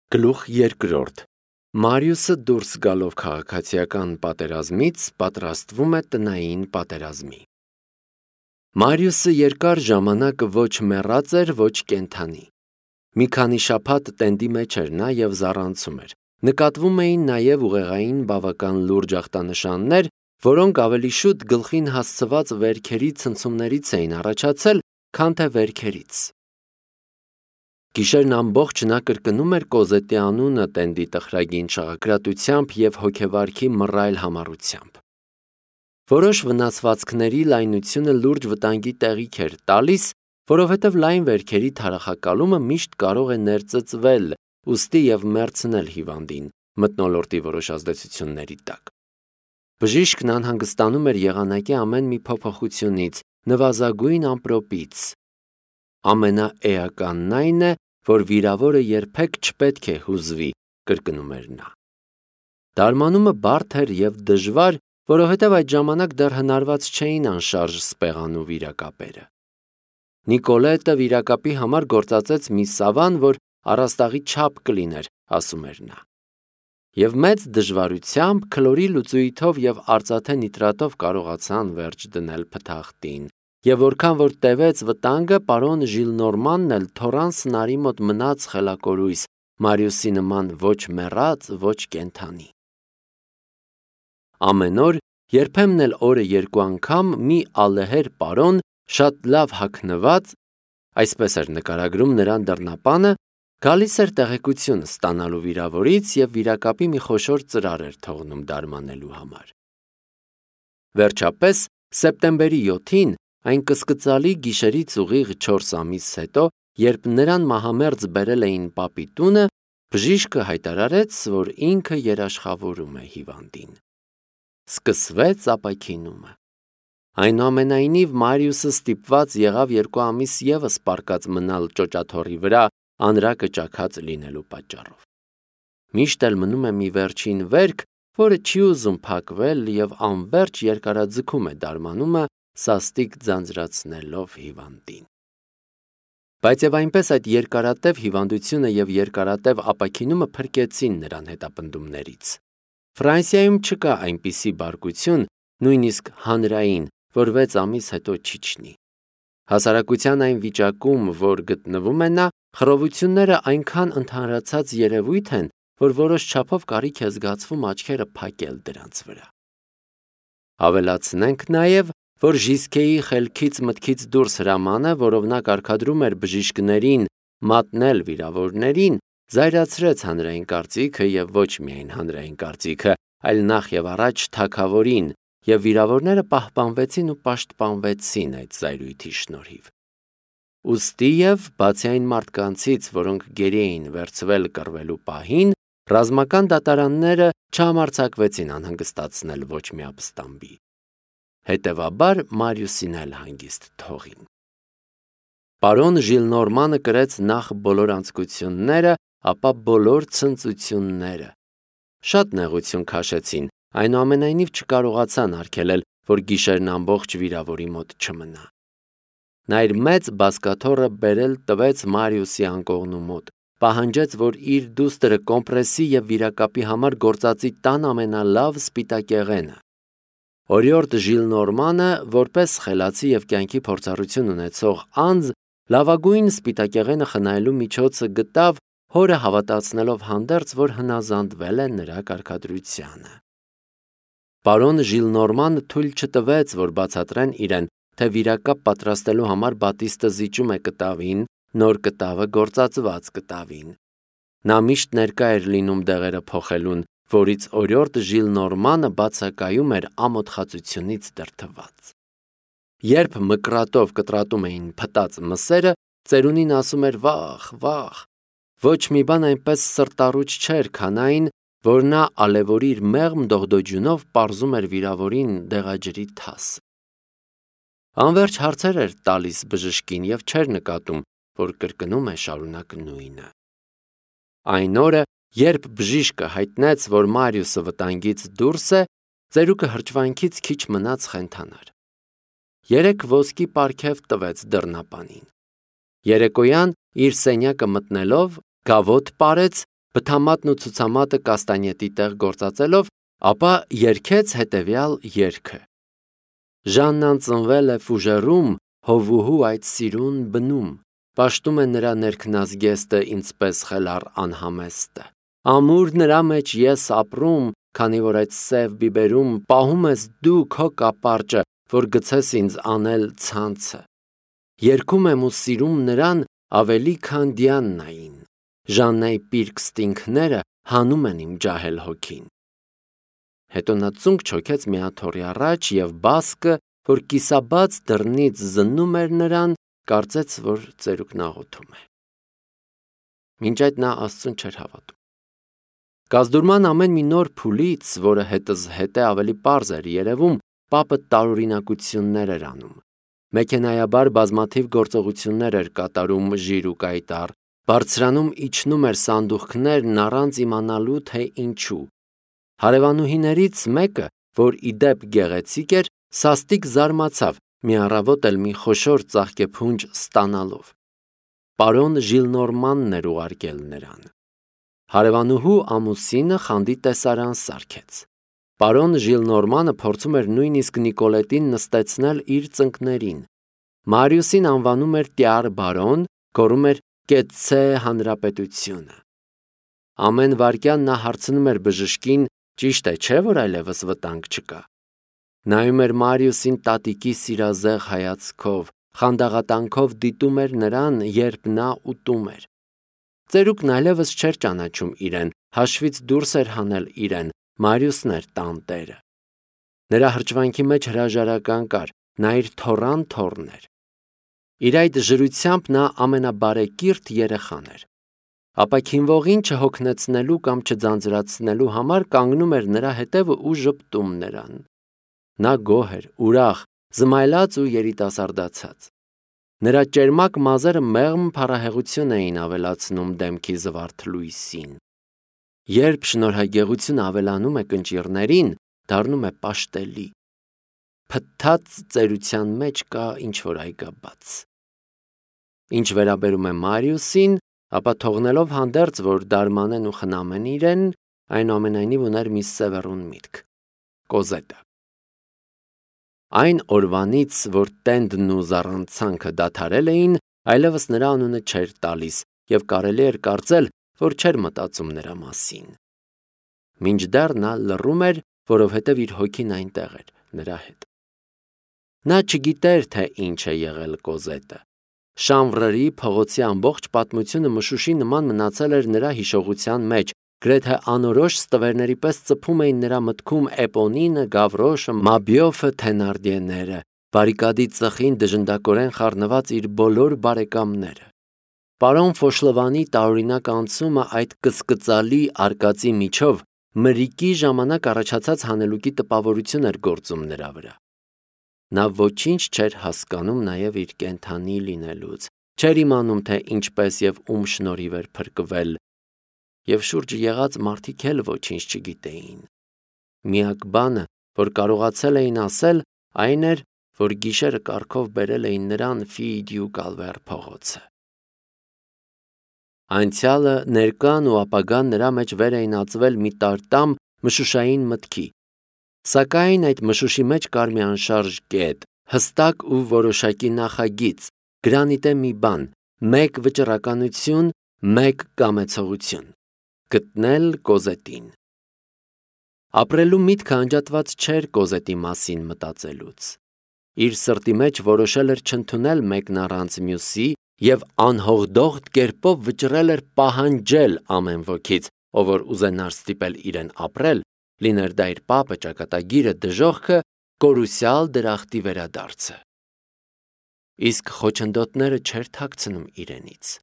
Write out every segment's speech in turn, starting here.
Գլուխ երկրորդ. Մարիուսը դուրս գալով քաղաքացիական պատերազմից պատրաստվում է տնային պատերազմի։ Մարիուսը երկար ժամանակ ոչ մեռած էր, ոչ կենդանի։ Մի քանի շաբաթ տենդի մեջ էր նա և զառանցում էր։ Նկատվում էին նաև ուղեղային բավական լուրջ ախտանշաններ, որոնք ավելի շուտ գլխին հասցված վերքերի ցնցումներից էին առաջացել, քան թե վերքերից։ Գիշերն ամբողջ նա կրկնում էր Կոզետի անունը տենդի տխրագին շաղակրատությամբ և հոգեվարքի մռայլ համառությամբ։ Որոշ վնասվածքների լայնությունը լուրջ վտանգի տեղիք էր տալիս, որովհետև լայն վերքերի թարախակալումը միշտ կարող է ներծծվել ուստի և մեռցնել հիվանդին մթնոլորտի որոշ ազդեցությունների տակ։ Բժիշկն անհանգստանում էր եղանակի ամեն մի փոփոխությունից, նվազագույն ամպրոպից։ Ամենաէականն այն է, որ վիրավորը երբեք չպետք է հուզվի, կրկնում էր նա։ Դարմանումը բարդ էր և դժվար, որովհետև այդ ժամանակ դեռ հնարված չէին անշարժ սպեղանու վիրակապերը։ Նիկոլետը վիրակապի համար գործածեց մի սավան, որ առաստաղի չափ կլիներ, ասում էր նա։ Եվ մեծ դժվարությամբ քլորի լուծույթով և արծաթե նիտրատով կարողացան վերջ դնել փթախտին, և որքան որ տևեց վտանգը, պարոն Ժիլնորմանն էլ թոռան սնարի մոտ մնաց խելակորույս, Մարիուսի նման ոչ մեռած, ոչ կենդանի։ Ամեն օր, երբեմն էլ օրը երկու անգամ մի ալեհեր պարոն, շատ լավ հագնված, այսպես էր նկարագրում նրան դռնապանը, գալիս էր տեղեկություն ստանալու վիրավորից և վիրակապի մի խոշոր ծրար էր թողնում դարմանելու համար։ Վերջապես, սեպտեմբերի 7-ին, այն կսկծալի գիշերից ուղիղ 4 ամիս հետո, երբ նրան մահամերձ բերել էին պապի տունը, բժիշկը հայտարարեց, որ ինքը երաշխավորում է հիվանդին։ Սկսվեց ապաքինումը։ Այնուամենայնիվ Մարիուսը ստիպված եղավ 2 ամիս ևս պառկած մնալ ճոճաթոռի վրա անրակը ճաքած լինելու պատճառով։ Միշտ էլ մնում է մի վերջին վերք, որը չի ուզում փակվել և անվերջ երկարաձգում է դարմանումը, սաստիկ ձանձրացնելով հիվանդին։ Բայց և այնպես այդ երկարատև հիվանդությունը և երկարատև ապաքինումը փրկեցին նրան հետապնդումներից։ Ֆրանսիայում չկա այնպիսի բարկություն, նույնիսկ հանրային, որ 6 ամիս հետո չիջնի։ Հասարակության այն վիճակում, որ գտնվում է նա, խռովությունները այնքան ընդհանրացած երևույթ են, որ որոշ չափով կարիք է զգացվում աչքերը փակել դրանց վրա։ Ավելացնենք նաև, որ Ժիսկեի խելքից մտքից դուրս հրամանը, որով նա կարգադրում էր բժիշկներին մատնել վիրավորներին, զայրացրեց հանրային կարծիքը և ոչ միայն հանրային կարծիքը, այլ նախ և առաջ թագավորին, և վիրավորները պահպանվեցին ու պաշտպանվեցին այդ զայրույթի շնորհիվ։ Ուստիև, բացի այն մարդկանցից, որոնք գերի էին վերցվել կռվելու պահին, ռազմական դատարանները չհամարձակվեցին անհանգստացնել ոչ մի ապստամբի։ Հետևաբար Մարիուսին էլ հանգիստ թողին։ Պարոն Ժիլնորմանը կրեց նախ բոլոր անձկությունները, ապա բոլոր ցնծությունները։ Շատ նեղություն քաշեցին, այնուամենայնիվ չկարողացան արգելել, որ գիշերն ամբողջ վիրավորի մոտ չմնա։ Նա իր մեծ բազկաթոռը բերել տվեց Մարիուսի անկողնու մոտ, պահանջեց, որ իր դուստրը կոմպրեսի և վիրակապի համար գործածի տան ամենալավ սպիտակեղենը։ Օրիորդ Ժիլնորմանը, որպես խելացի և կյանքի փորձառություն ունեցող անձ, լավագույն սպիտակեղենը խնայելու միջոցը գտավ, հորը հավատացնելով հանդերձ, որ հնազանդվել է նրա կարգադրությանը։ Պարոն Ժիլնորմանը թույլ չտվեց, որ բացատրեն իրեն, թե վիրակապ պատրաստելու համար Բատիստը զիջում է կտավին, նոր կտավը գործածված կտավին։ Նա միշտ ներկա էր լինում դեղերը փոխելուն, որից օրիորդ Ժիլնորմանը բացակայում էր ամոթխածությունից դրդված։ Երբ մկրատով կտրատում էին փտած մսերը, ծերունին ասում էր վախ, վախ։ Ոչ մի բան այնպես սրտառուչ չէր, քան այն, որ նա ալևորի իր մեղմ դողդոջյունով պարզում էր վիրավորին դեղաջրի թասը։ Անվերջ հարցեր էր տալիս բժշկին և չէր նկատում, որ կրկնում է շարունակ նույնը։ Այն օրը, երբ բժիշկը հայտնեց, որ Մարիուսը վտանգից դուրս է, ծերուկը հրճվանքից քիչ մնաց խենթանար։ 3 ոսկի պարգև տվեց դռնապանին։ Երեկոյան իր սենյակը մտնելով, գավոտ պարեց բթամատն ու ցուցամատը կաստանյետի տեղ գործածելով, ապա երգեց հետևյալ երգը. Ժաննան ծնվել է Ֆուժերում, հովուհու այդ սիրուն բնում, պաշտում է նրա ներքնազգեստը ինձպես խելառ անհամեստը։ Ամուր նրա մեջ ես ապրում, քանի որ այդ սև բիբերում պահում ես դու քո կապարճը, որ գցես ինձ անել ցանցը։ Երգում եմ ու սիրում նրան ավելի քան Դիաննային, Ժաննայի պիրկ ստինքները հանում են իմ ջահել հոգին։ Հետո նա ծունկ չոքեց մի աթոռի առաջ և բասկը, որ կիսաբաց դռնից զննում էր նրան, կարծեց, որ ծերուկն աղոթում է։ Մինչ այդ նա Աստծուն չէր հավատում։ Կազդուրման ամեն մի նոր փուլից, որը հետզհետե ավելի պարզ էր երևում, պապը տարօրինակություններ էր անում։ Մեքենայաբար բազմաթիվ գործողություններ էր կատարում ժիր ու կայտառ, բարձրանում իջնում էր սանդուղքներն առանց իմանալու, թե ինչու։ Հարևանուհիներից մեկը, որ ի դեպ գեղեցիկ էր, սաստիկ զարմացավ մի առավոտ էլ մի խոշոր ծաղկեփունջ ստանալով։ Պարոն Ժիլնորմանն էր ուղարկել նրան։ Հարևանուհու ամուսինը խանդի տեսարան սարքեց։ Պարոն Ժիլնորմանը փորձում էր նույնիսկ Նիկոլետին նստեցնել իր ծնկներին։ Մարիուսին անվանում էր Տյար բարոն, գոռում էր կեցցե հանրապետությունը։ Ամեն վայրկյան նա հարցնում էր բժշկին, ճիշտ է, չէ՞ որ այլևս վտանգ չկա։ Նայում էր Մարիուսին տատիկի սիրազեղ հայացքով, խանդաղատանքով դիտում էր նրան, երբ նա ուտում էր։ Ծերուկն այլևս չէր ճանաչում իրեն, հաշվից դուրս էր հանել իրեն, Մարիուսն էր տանտերը։ Նրա հրճվանքի մեջ հրաժարական կար, նա իր թոռան թոռն էր։ Իր այդ ժրությամբ նա ամենաբարեկիրթ երեխան էր։ Ապա քինվողին չհոգնեցնելու կամ չձանձրացնելու համար կանգնում էր նրա հետևը ու ժպտում նրան։ Նա գոհ էր, ուրախ, զմայլած ու երիտասարդացած։ Նրա ճերմակ մազերը մեղմ փառահեղություն էին ավելացնում դեմքի զվարթ լույսին։ Երբ շնորհագեղությունը ավելանում է կնճիռներին, դառնում է պաշտելի։ Փթթած ծերության մեջ կա ինչ-որ այգաբաց։ Ինչ վերաբերում է Մարիուսին, ապա թողնելով հանդերձ, որ դարմանեն ու խնամեն իրեն, այնուամենայնիվ ուներ մի սևեռուն միտք՝ Կոզետը։ Այն օրվանից, որ տենդն ու զառանցանքը դադարել էին, այլևս նրա անունը չէր տալիս և կարելի էր կարծել, որ չէր մտածում նրա մասին։ Մինչդեռ նա լռում էր, որովհետև իր հոգին այնտեղ էր, նրա հետ։ Նա չգիտեր, թե ինչ է եղել Կոզետը։ Շանվրերի փողոցի ամբողջ պատմությունը մշուշի նման մնացել էր նրա հիշողության մեջ, գրեթե անորոշ ստվերների պես ծփում էին նրա մտքում Էպոնինը, Գավրոշը, Մաբիոֆը, Թենարդիեները, բարիկադի ծխին դժնդակորեն խառնված իր բոլոր բարեկամները։ Պարոն Ֆոշլովանի տարօրինակ անցումը այդ կսկծալի արկածի միջով մրիկի ժամանակ առաջացած հանելուկի տպավորություն էր գործում նրա վրա։ Նա ոչինչ չէր հասկանում նաև իր կենդանի լինելուց, չէր իմանում, թե ինչպես և ում շնորհիվ էր փրկվել, և շուրջը եղած մարդիկ էլ ոչինչ չգիտեին։ Միակ բանը, որ կարողացել էին ասել, այն էր, որ գիշերը կառքով բերել էին նրան Ֆիդյու Կալվեր փողոցը։ Անցյալը, ներկան ու ապագան նրա մեջ վեր էին ածվել մի տարտամ մշուշային մտքի։ Սակայն այդ մշուշի մեջ կար մի անշարժ կետ, հստակ ու որոշակի նախագիծ, գրանիտե մի բան, մեկ վճռականություն, մեկ կամեցողություն՝ գտնել Կոզետին։ Ապրելու միտքը անջատված չէր Կոզետի մասին մտածելուց։ Իր սրտի մեջ որոշել էր չընդունել մեկն առանց մյուսի և անհողդողդ կերպով վճռել էր պահանջել ամեն ոքից, ով որ ուզենար ստիպել իրեն ապրել, լիներ դա իր պապը, ճակատագիրը, դժոխքը, կորուսյալ դրախտի վերադարձը։ Իսկ խոչընդոտները չէր թաքցնում իրենից։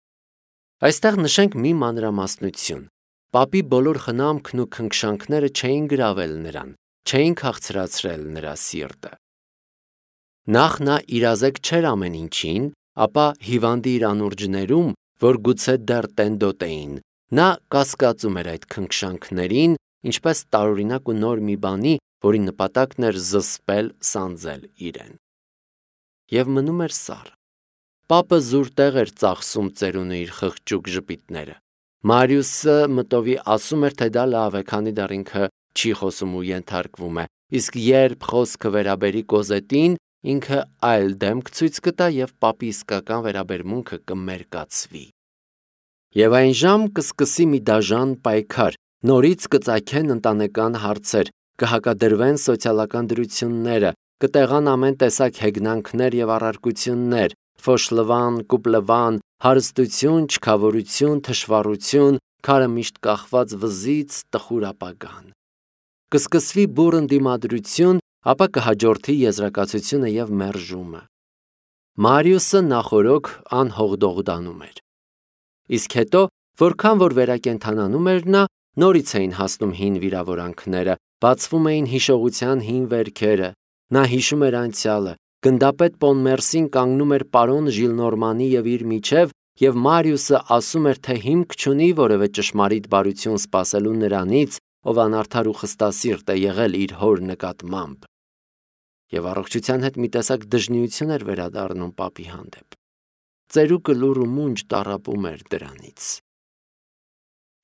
Այստեղ նշենք մի մանրամասնություն։ Պապի բոլոր խնամքն ու քնքշանքները չէին գրավել նրան, չէին քաղցրացրել նրա սիրտը։ Նախ նա իրազեկ չէր ամեն ինչին, ապա հիվանդի իր անուրջներում, որ գուցե դեռ տենդոտ էին, նա կասկածում էր այդ քնքշանքներին, ինչպես տարօրինակ ու նոր մի բանի, որի նպատակն էր զսպել, սանձել իրեն։ Եվ մնում էր սառը։ Պապը զուր տեղ էր ծախսում ծերունու իր խղճուկ ժպիտները։ Մարիուսը մտովի ասում էր, թե դա լավ է, քանի դեռ ինքը չի խոսում ու ենթարկվում է, իսկ երբ խոսքը վերաբերի Կոզետին, ինքը այլ դեմք ցույց կտա և պապի իսկական վերաբերմունքը կմերկացվի։ Եվ այն ժամ կսկսի մի դաժան պայքար, նորից կծագեն ընտանեկան հարցեր, կհակադրվեն սոցիալական դրությունները, կտեղան ամեն տեսակ հեգնանքներ և առարկություններ, ֆոշլվան, կուպլվան, հարստություն, չքավորություն, թշվառություն, քարը միշտ կախված վզից, տխուր ապագան։ Կսկսվի բուռն դիմադրություն, ապա կհաջորդի եզրակացությունը և մերժումը։ Մարիուսը նախօրոք անհողդողդանում էր։ Իսկ հետո, որքան որ վերակենդանանում էր նա, նորից էին հասնում հին վիրավորանքները, բացվում էին հիշողության հին վերքերը, նա հիշում էր անցյալը, գնդապետ Պոնմերսին կանգնում էր պարոն Ժիլնորմանի և իր միջև, և Մարիուսը ասում էր, թե հիմք չունի որևէ ճշմարիտ բարություն սպասելու նրանից, ով անարդար ու խստասիրտ է եղել իր հոր նկատմամբ։ Եվ առողջության հետ մի տեսակ դժնիություն էր վերադառնում պապի հանդեպ։ Ծերուկը լուռ ու մունջ տառապում էր դրանից։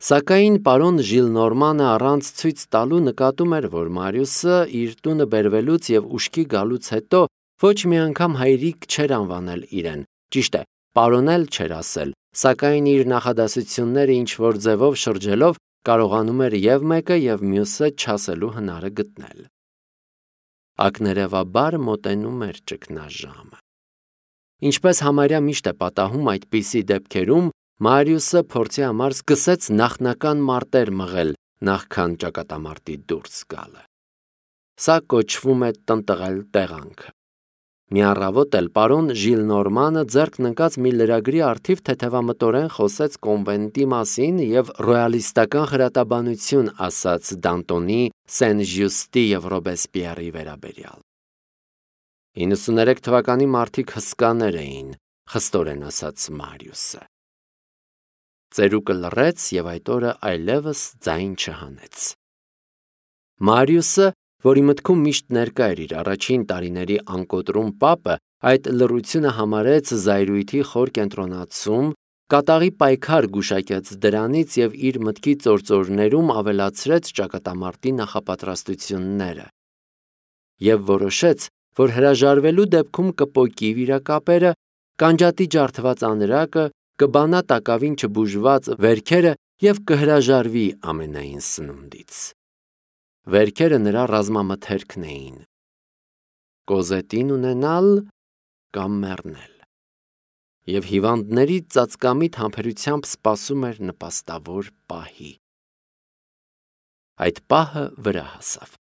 Սակայն պարոն Ժիլնորմանը առանց ցույց տալու նկատում էր, որ Մարիուսը իր տունը բերվելուց և ուշքի գալուց հետո ոչ մի անգամ հայրիկ չէր անվանել իրեն, ճիշտ է, պարոն էլ չէր ասել, սակայն իր նախադասությունները ինչ-որ ձևով շրջելով կարողանում էր և մեկը և մյուսը չասելու հնարը գտնել։ Ակներևաբար մոտենում էր ճգնաժամը։ Ինչպես համարյա միշտ է պատահում այդպիսի դեպքերում, Մարիուսը փորձի համար սկսեց նախնական մարտեր մղել, նախքան ճակատամարտի դուրս գալը։ Սա կոչվում է տնտղել տեղանքը։ Մի առավոտ էլ պարոն Ժիլնորմանը ձեռքն ընկած մի լրագրի առթիվ թեթևամտորեն խոսեց կոնվենտի մասին և ռոյալիստական խրատաբանություն ասաց Դանտոնի, Սեն-Ժյուստի և Ռոբեսպիերի վերաբերյալ։ 93 թվականի մարդիկ հսկաներ էին, խստորեն ասաց Մարիուսը։ Ծերուկը լռեց և այդ օրը այլևս ձայն չհանեց։ Մարիուսը, որի մտքում միշտ ներկա էր իր առաջին տարիների անկոտրում պապը, այդ լռությունը համարեց զայրույթի խոր կենտրոնացում, կատաղի պայքար գուշակեց դրանից և իր մտքի ծործորներում ավելացրեց ճակատամարտի նախապատրաստությունները։ Եվ որոշեց, որ հրաժարվելու դեպքում կպոկի վիրակապերը, կանջատի ջարդված անրակը, կբանա տակավին չբուժված վերքերը և կհրաժարվի ամենայն սնունդից։ Վերքերը նրա ռազմամթերքն էին. Կոզետին ունենալ կամ մեռնել։ Եվ հիվանդների ծածկամիտ համբերությամբ սպասում էր նպաստավոր պահի։ Այդ պահը վրա հասավ։